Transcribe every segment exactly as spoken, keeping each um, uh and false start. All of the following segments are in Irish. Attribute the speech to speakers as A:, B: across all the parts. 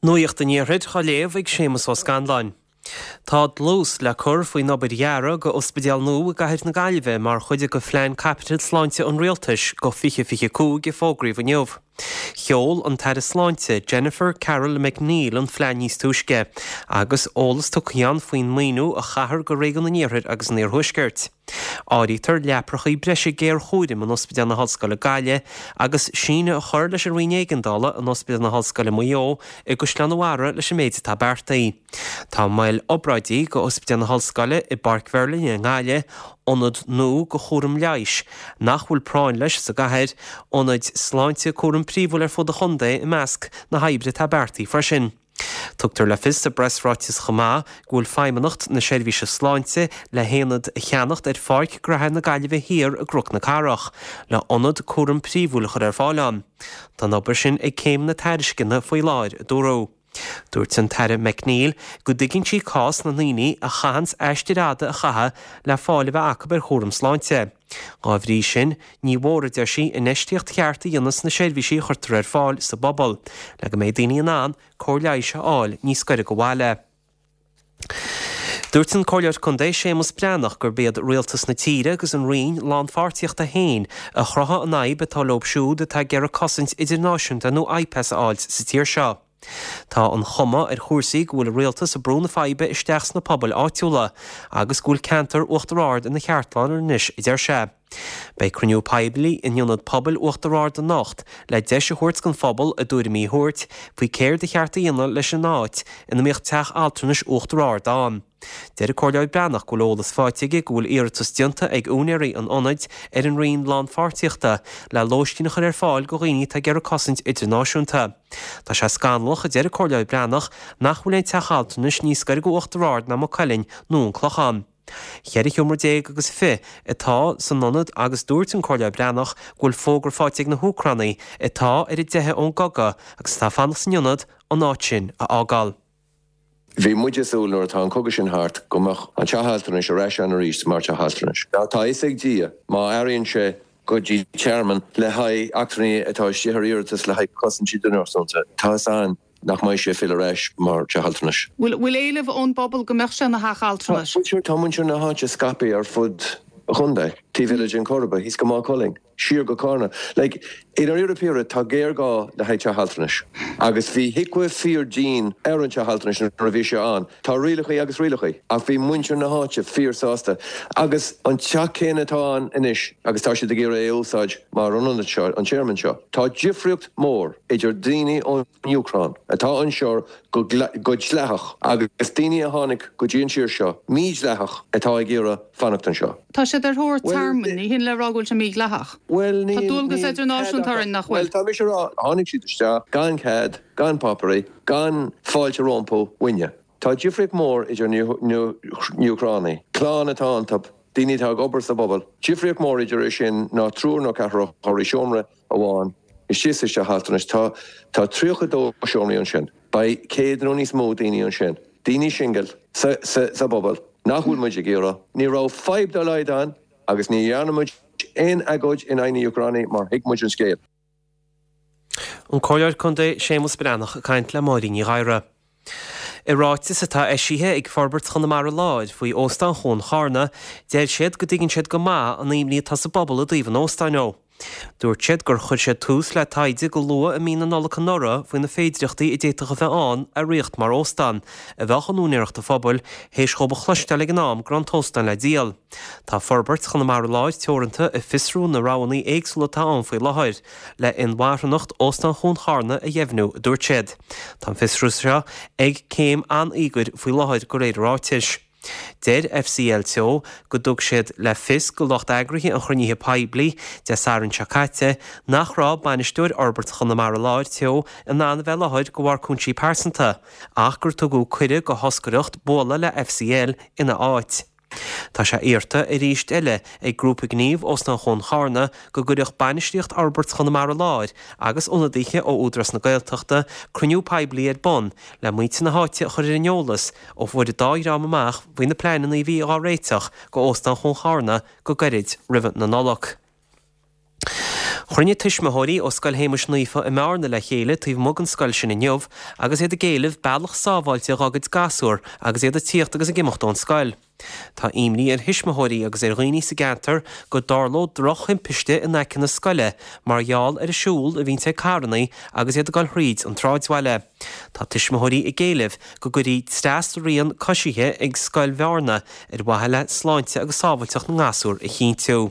A: Nuacht an Iarthair á léamh ag Séamus Ó Scanláin. Tá dlús le cur faoin obair dhearaidh go ospidéal nua i gcathair na Gaillimhe mar chuid de phlean caipitil sláinte an rialtais go fiche fiche cúig a fógraíodh inniu. Sheol an tAire Sláinte Jennifer Carroll MacNeill an phlean níos túisce, agus eolas tugtha ann faoin maoiniú a chaithfear go réigiún an Iarthair agus an Iarthuaiscirt. Áirítear leaprachaí breise géarchúraim in Ospidéal na hOllscoile Gaillimh agus síneadh a chur leis an Roinn Éigeandála in Ospidéal na hOllscoile Maigh Eo i gCaisleán an Bharraigh leis an méid atá beartaithe. Tá moil obráidí go Ospidéal na hOllscoile i bPáirc Mherlin i nGaillimh, ionad nua go chúram leighis nach bhfuil práinn leis sa gcathair, ionaid sláinte cúram príomhúil ar fud an chontae i measc na hoibre atá beartaithe freisin. Tugtar le fios sa bpreasráiteas chomh maith go bhfuil Feidhmeannacht na Seirbhíse Sláinte le haonad a cheannacht ar Pháirc Ghraithe na Gaillimhe Thiar i gCnoc na Cathrach, le hionad cúram príomhúil a chur ar fáil ann. Tá an obair sin ag céim na tairisceana faoi láthair, a dúradh. Dúirt an tAire MacNeill go dtuigeann sí cás na ndaoine a chaitheanns aistir fhada a chaitheamh le fáil a bheith acu ar chúram sláinte. Dá bhrí sin, ní mhór, a deir sí, infheistíocht cheart a dhéanamh sna seirbhísí a chuirtear ar fáil sa bpobal, le go mbeidh daoine in ann cóir leighis a fháil níos gaire go bhaile. Dúirt an Comhairleoir Contae Séamus Breathnach gurb iad rialtas na tíre agus an Roinn Lánpháirtíochta féin a chruthaigh an fhadhb atá leo siúd atá ag iarraidh cosaint idirnáisiúnta nó IPAS a fháilt sa tír seo. Tá an chuma ar chúrsaí go bhfuil an rialtas ag brú na faidhbe isteach sna pobail áitiúla agus go bhfuil ceantar Uachtar Ard ina cheartlár anois, a deir sé. Beidh cruinniú poiblí in Ionad Pobail Uachtar Ard anocht le deis a thabhairt don phobal a dtuairimí a thabhairt faoi céard a cheart a dhéanamh leis an áit ina mbíodh teach altranais Uachtar Ard ann. Deir an Comhairleoir Breathnach go bhfuil eolas faighte aige go bhfuil iarratas déanta ag úinéirí an ionaid ar an Roinn Lánpháirtíochta le lóistín a chur ar fáil do dhaoine atá ag iarraidh cosaint idirnáisiúnta. Tá sé scannalach, a deir an Comhairleoir Breathnach, nach bhfuil aon teach altranais níos gaire go Uachtar Ard ná Maigh Cuilinn nó an Clochán. Ceithre sheomra déag agus fiche atá san ionad agus dúirt an Comhairleoir Breathnach go bhfuil fógra faighte ag na hÚcránaigh atá ar a dteitheadh ón gcogadh agus atá ag fanacht san ionad an áit sin a fhágáil.
B: Bhí muid ag súil nuair atá an cogadh sin thart go mbeadh an teach altranais ar ais ann arís mar teach altranais. Tá a fhios ag Dia má athraíonn sé go dtí tearmann le haghaidh eachtrannaigh atá istigh ar iarratas le haghaidh cosaint idirnáisiúnta, tá a fhios againn nach mbeidh sé ag filleadh ar ais mar teach altranais.
C: Bhfuil éileamh ón bpobal go mbeadh sé ina theach altranais?
B: Tá muintir na háite scaipthe ar fud an chontae, taobh eile den Choirib, thíos go Maigh Cuilinn. siar go Carna. Like, i ndáiríre píre, tá géarghá le haghaidh teach altranais. Agus bhí HIQA fíor-dian ar an teach altranais nuair a bhí sé ann. Tá rialachaí agus rialachaí, ach bhí muintir na háite fíor-sásta. Agus an teach céanna atá ann anois agus tá siad ag iarraidh é a úsáid mar an ionad seo, an tearmann seo. Tá difríocht mór idir daoine ón Úcráin atá anseo go dleathach agus daoine a tháinig go dtí an tír seo mídhleathach atá ag iarraidh fanacht anseo.
C: Tá siad ar thóir tearmainn, ní hin le rá go bhfuil sé mídhleathach.
B: Bhuel,
C: Tá dualgas idirnáisiúnta orainn, nach bhfuil?
B: Bhuel, tá mise a rá, tháinig siad isteach gan cead, gan páipéirí, gan fáilte rompu uainne. Tá difríocht mór idir na hÚcránaigh, clann atá iontu, daoine atá ag obair sa bpobal, difríocht mór idir é sin ná triúr nó ceathrar a chur i seomra amháin istigh sa teach altranais. Tá tá tríocha dó seomraí ansin. Beidh céad nó níos mó daoine ansin, daoine singil sa sa sa bpobal nach bhfuil muid ag iarraidh. Ní raibh fadhb dá laghad ann agus ní dhearna muid aon agóid in aghaidh na Úcránaigh mar thuig muid an scéal.
A: An Comhairleoir Contae Séamus Breathnach ag caint le Máirín Ní Ghadhra. I ráiteas atá eisithe ag Forbairt Chonamara Láir faoi Óstán Chuan Charna, deir siad go dtuigeann siad go maith an imní atá sa bpobal i dtaobh an óstáin ó. Dúirt siad gur chuir siad tús le taighde go luath i mí na Nollag anuraidh faoi na féidireachtaí a d'fhéadfadh a bheith ann a riocht mar óstán a bheadh in úinéireacht an phobail, théis dhóibh a chloisteáil ag an am go raibh an t-óstán le díol. Tá Forbairt Chonamara Láir Teoranta ag fiosrú na roghanna éagsúla atá ann faoi láthair le inmharthanacht Óstán Chuan Charna a dheimhniú, a dúirt siad. Tá an fiosrú seo ag céim an-íogair faoi láthair de réir an ráitis. Deir FCL Teo go dtug siad le fios go lucht eagraithe an chruinnithe poiblí Dé Sathairn seo caite nach raibh bainisteoir Fhorbairt Chonamara Láir Teo in ann a bheith i láthair de bharr cúinsí pearsanta ach gur tugadh cuireadh go thoscaireacht bualadh le FCL ina áit. Tá sé iarrta arís eile ag Grúpa Gnímh Óstán Chuan Charna go gcuirfeadh bainistíocht Fhorbairt Chonamara Láir agus ionadaithe ó Údarás na Gaeltachta cruinniú poiblí ar bun le muintir na háite a chur ar an eolas ó fuair an dá dhream amach faoi na pleananna a bhí á réiteach go Óstán Chuan Charna go gairid roimh na Nollag. Chruinnigh tuismitheoirí ó Scoil Shéamais Naofa i mBearna le chéile taobh amuigh den scoil sin inniu agus iad ag éileamh bealach sábháilte dá gcuid gasúr agus iad ag tíocht agus ag imeacht ón scoil. Tá imní ar thuismitheoirí agus ar dhaoine sa gceantar go dtarlódh drochthimpiste in aice na scoile mar gheall ar an siúl a bhíonn ag carranna agus iad ag dul thríd an tsráidbhaile. Tá tuismitheoirí ag éileamh go gcuirfí trasrian coisithe ag Scoil Bhearna ar mhaithe le sláinte agus sábháilteacht na ngasúr a chinntiú.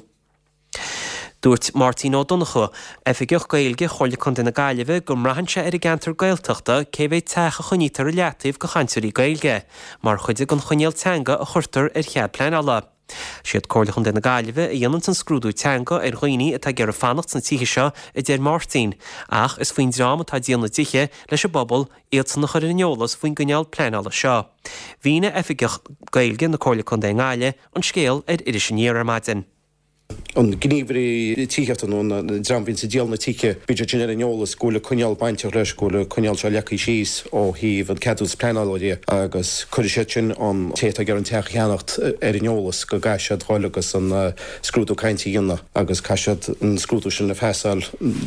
A: Dúirt Máirtín Ó Donnchú, Oifigeach Gaeilge Chomhairle Contae na Gaillimhe, go mbraitheann sé ar an gceantar Gaeltachta cé mhéad teach a choinnítear i leataobh do chainteoirí Gaeilge, mar chuid den choinníoll teanga a chuirtear ar chead pleanála. Siad Comhairle Chontae na Gaillimhe a dhéanann an scrúdú teanga ar dhaoine atá ag iarraidh fanacht sna tithe seo, a deir Máirtín, ach is faoin dream atá ag díol na dtithe leis an bpobal iadsan a chur ar an eolas faoin gcoinníoll pleanála seo. Mhínigh Oifigeach Gaeilge na Comhairle Contae i nGaillimh an scéal ar Iris Aniar ar maidin.
D: An gníomhairí tithíochta nó an dream a bhíonns ag díol na tithe, bíonn siad sin ar an eolas go bhfuil coinníoll bainteach leis, go bhfuil an coinníoll seo leagtha síos ó thaobh an ceadúnas pleanála de agus cuirfidh siad sin an té atá ag iarraidh an teach a cheannacht ar an eolas go gcaithfidh siad dhul agus an scrúdú cainte a dhéanamh agus caithfidh siad an scrúdú sin a phasáil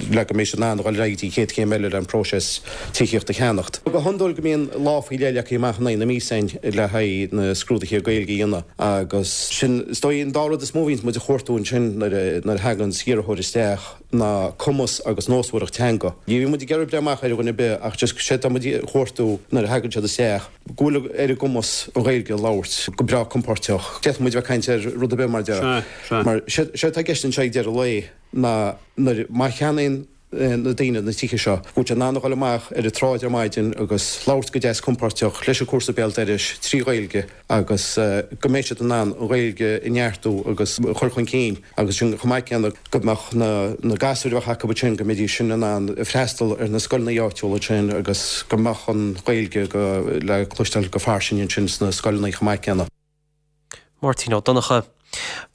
D: le go mbeidh siad in ann dhul ar aghaidh go dtí an chéad chéim eile le an próiseas tithíocht a cheannacht. Go hiondúil go mbíonn lá faoi leith leagtha amach in aghaidh na míosa le haghaidh na scrúduithe Gaeilge a dhéanamh agus sin is dóigh an dá rud is mó a bhíonns muid a chuartú ansin nuair a thagann iarrthóir isteach ná cumas agus nósmhaireacht teanga. Ní bhíonn muid ag iarraidh breith amach ar dhuine ar bith ach just sé tá muid a chuartú nuair a thagann siad isteach go bhfuil ar a gcumas an Ghaeilge a labhairt go breá compordach. D'fhéadfadh muid bheith ag caint ar rud ar bith mar deir. Mar sé atá i gceist anseo ag deireadh lae ná nuair má cheannaíonn na daoine na tithe seo, go bhfuil siad in ann a dhul amach ar an tsráid ar maidin agus labhairt go deas compordach leis an cúrsa béal dorais trí Ghaeilge agus go mbeidh siad in ann an Ghaeilge a neartú agus a chur chun cinn agus sin chomh maith céanna go mbeadh na na gasúir a bheadh acu sin go mbeidís sin in ann freastal ar na scoileanna áitiúla sin agus go mbeadh an Ghaeilge go le cloisteáil go fairsing ansin sna scoileanna chomh maith céanna.
A: Máirtín Ó Donnchadha.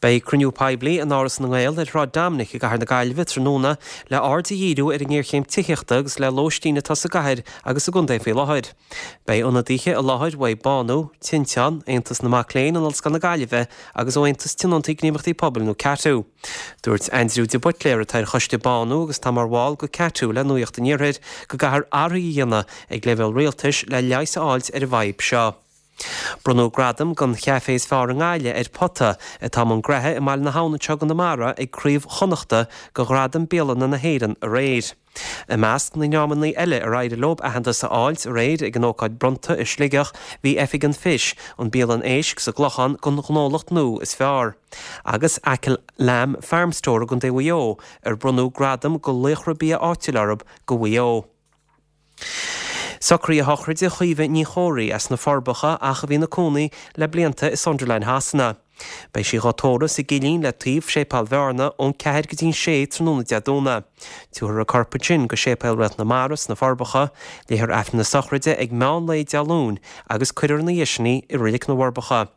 A: Beidh cruinniú poiblí in Áras na nGael ar Shráid Dominic i gCathair na Gaillimhe tráthnóna le aird a dhíriú ar an ngéarchéim tithíochta agus le lóistín atá sa gcathair agus sa gcontae faoi láthair. Beidh ionadaithe i láthair uaidh Bánú, Tinteán, Aontas na Mac Léinn in Ollscoil na Gaillimhe agus ó Aontas Tionóntaí Gníomhaireachtaí Pobail nó CATU. Dúirt Aindriú de Buitléar atá ar choiste Bánú agus atá mar bhall go CATU le Nuacht an Iarthair go gcaithfear athruithe a dhéanamh ag leibhéal rialtais le leigheas a fháilt ar an bhfadhb seo. Bronnadh gradam don chaifé is fearr i nGaillimh ar Pota, atá i mbun gnoithe i mBaile na hAbhann anseo i gConamara ag Craobh Chonnachta go Ghradam Bialanna na hÉireann aréir. I measc na ndreamanna eile ar éirigh leo aitheantas a fháilt aréir ag an ócáid bronnta i Sligeach bhí Oifig an Fish, an bialann éisc sa gClochán don ghnólacht nua is fearr, agus Achill Lamb Farm Store i gContae Mhaigh Eo ar bronnadh gradam go laochra bia áitiúil orthu go Mhaigh Eo. Socruithe sochraide Chaoimhe Ní Chomhraí as na Forbacha ach a bhí ina cónaí le blianta i Sunderland Shasana. Beidh sí dhá tórramh sa gCillín le taobh Séipéal Bhearna ón ceathair go dtí'n sé tráthnóna Dé Domhnaigh. Tabharfar a corp ansin go Séipéal Réalt na Mara sna Forbacha, léifear Aifreann na sochraide ag meán lae Dé Luain agus cuirfear ina dhiaidh sin í i Reilig na bhForbacha.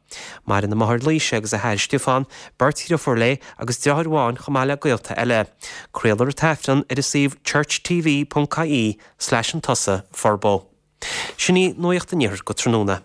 A: Maireann a máthair Laoise agus a hathair Stiofán, beirt dhriofúr léi agus deartháir amháin chomh maith le gaolta eile. Craolfar an t-aifreann ar an suíomh churchtv.ie slash an tusa forbo. Sin í Nuacht an Iarthair go tráthnóna.